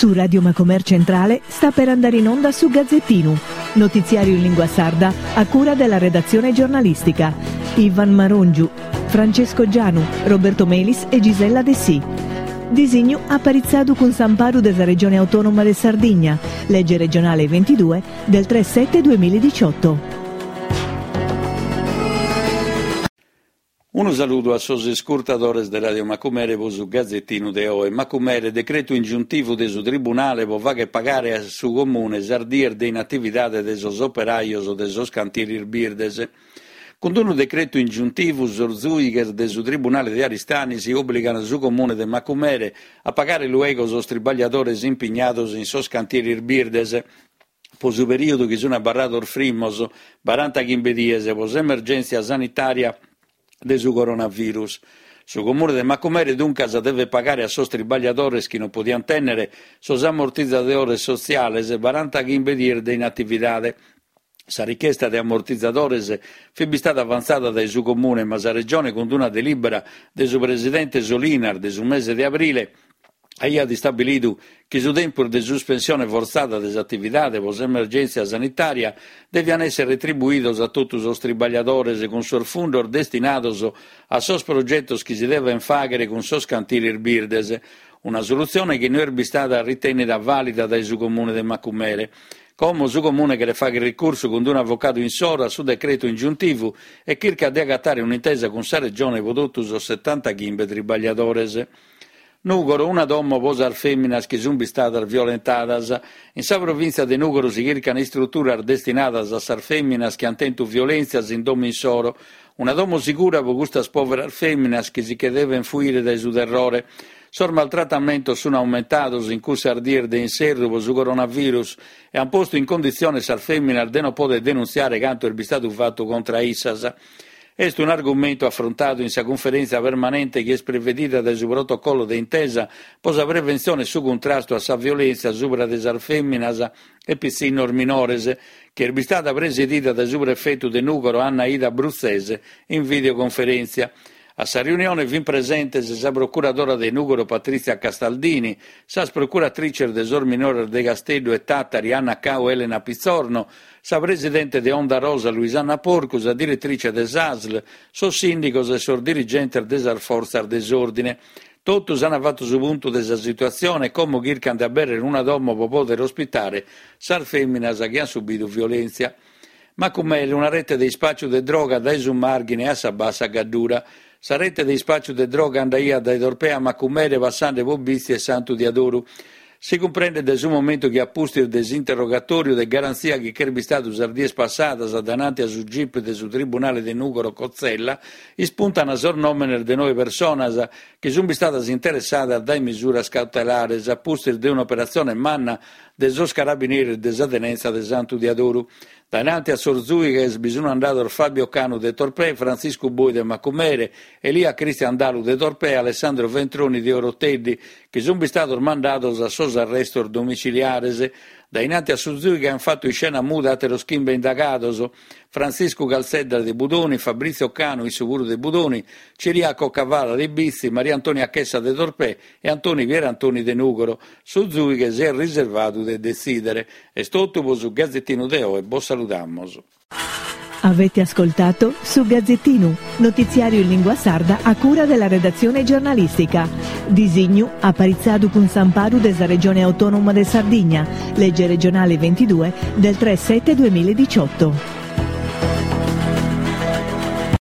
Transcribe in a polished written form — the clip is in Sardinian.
Su Radio Macomer Centrale sta per andare in onda su Gazzettinu, notiziario in lingua sarda a cura della redazione giornalistica. Ivan Marongiu, Francesco Gianu, Roberto Melis e Gisella Dessì. Disignu aparitzadu cun s'amparu de sa Regione Autonoma de Sardigna, lege regionale 22 del 3 7 2018. Unu saludu a sos iscurtadores de Radio Macumere pro su Gazetinu de oe. Macumere, decretu ingiuntivu de su Tribunale pro fagher pagare a su Comune sas dies de inatividade de sos operajos de sos cantieris birdes. Cun unu decretu ingiuntivu sos zùighes de su Tribunale de Aristanis òbligant su Comune de Macumere a pagare luego sos tribagliadores impignados in sos cantieris birdes pro su perìodu chi sunt abarrados frimmos, barantachimbe dies, pro s'emergèntzia sanitària de su coronavirus. Su Comune de Macumere duncas devet pagare a sos tribagliadores chi non podiant tènnere sos ammortizadores sotziales barantachimbe dies de inatividade. Sa richesta de ammortizadores fit bistada avantzada dae su Comune, ma sa Regione cun una delìbera de su presidente Solinas de su mese de abrile aiat istabilidu chi su tempus de suspensione fortzada de s'atividade pro s'emergèntzia sanitària deviant èssere retribuidos a totu sos tribagliadores cun sos fundos destinados a sos progetos chi si devent fàghere cun sos cantieris birdes, una solutzione chi no est bistada ritènnida vàlida dae su Comune de Macumere. Como su Comune cheret fàghere ricursu cun un'avocadu insoro a su decretu ingiuntivu e chircat de agatare un'intesa cun sa Regione pro totu sos setantachimbe tribagliadores. Nùgoro, una domo pro sas fèminas chi sunt bistadas violentadas. In sa provìntzia de Nùgoro si chircan istruturas destinadas a sas fèminas chi ant tentu violèntzias in domo insoro. Una domo sigura pro custas pòveras fèminas chi si che devent fuire dae su terrore. Sos maltratamentos sunt aumentados in cussas dies de inserru pro su coronavirus e ant postu in conditzione sas fèminas de non pòdere denuntziare cantu est bistadu fatu contra a issas. Est un'argumentu afrontadu in sa cunferèntzia permanente chi est prevedida dae su protocollo de intesa pro sa preventzione e su cuntrastu a sa violèntzia subra de sas fèminas e pitzinnos minores, chi est bistada presidida dae su prefetu de Nùgoro Anna Ida Bruzzese in videoconferèntzia. A sa riunione fin presentes sa procuradora de Nùgoro Patrizia Castaldini, sas procuratrices de sos minores de Casteddu e Tàtari Anna Cau e Elena Pizzorno, sa presidente de Onda Rosa Luisanna Porcu, sa diretrice de s'Asl, sos sìndigos e sos dirigentes de sas fortzas de s'òrdine. Totus ant fatu su puntu de sa situatzione e como chircant de abèrrere una domo pro pòdere ospitare sas fèminas chi ant subidu violèntzia. Macumele, una rete de ispàciu de droga dae su Màrghine a sa Bassa Gaddura. Sa rete de ispàciu de droga andaiat dae Torpè a Macumere passende pro Bitzi e Santu Diadoru. Si cumprendet dae su momentu chi a pustis de s'interrogatòriu de garantzia chi ch'est bistadu sas dies passadas dainanti a su gip de su tribunale de Nùgoro Cozzella, ispuntan sos nòmenes de noe personas chi sunt bistadas interessadas dae misuras cautelares a pustis de un'operatzione manna de sos carabineris de sa tenenza de Santu Diadoru. Dainanti a sos zùighes bi sun andados Fabio Canu de Torpè, Frantziscu Boi de Macumere, Elia Cristian Dalu de Torpè e Alessandro Ventroni de Oroteddi, chi sun bistados mandados a sos arrestos domiciliares. Dainanti a su zùighe an fatu iscena muda àteros chimbe indagados, Frantziscu Calzedda de Budoni, Fabrizio Canu, issu puru de Budoni, Ciriaco Cavada de Bitzi, Maria Antonia Chessa de Torpè e Antoni Pierantoni de Nùgoro. Su zùighe s'est riservadu de detzìdere. Est totu pro su Gazetinu de oe, bos saludamus. Avete ascoltato Su Gazzettinu, notiziario in lingua sarda a cura della redazione giornalistica. Disignu aparitzadu cun s'amparu de sa Regione Autonoma de Sardigna, legge regionale 22 del 3 7 2018.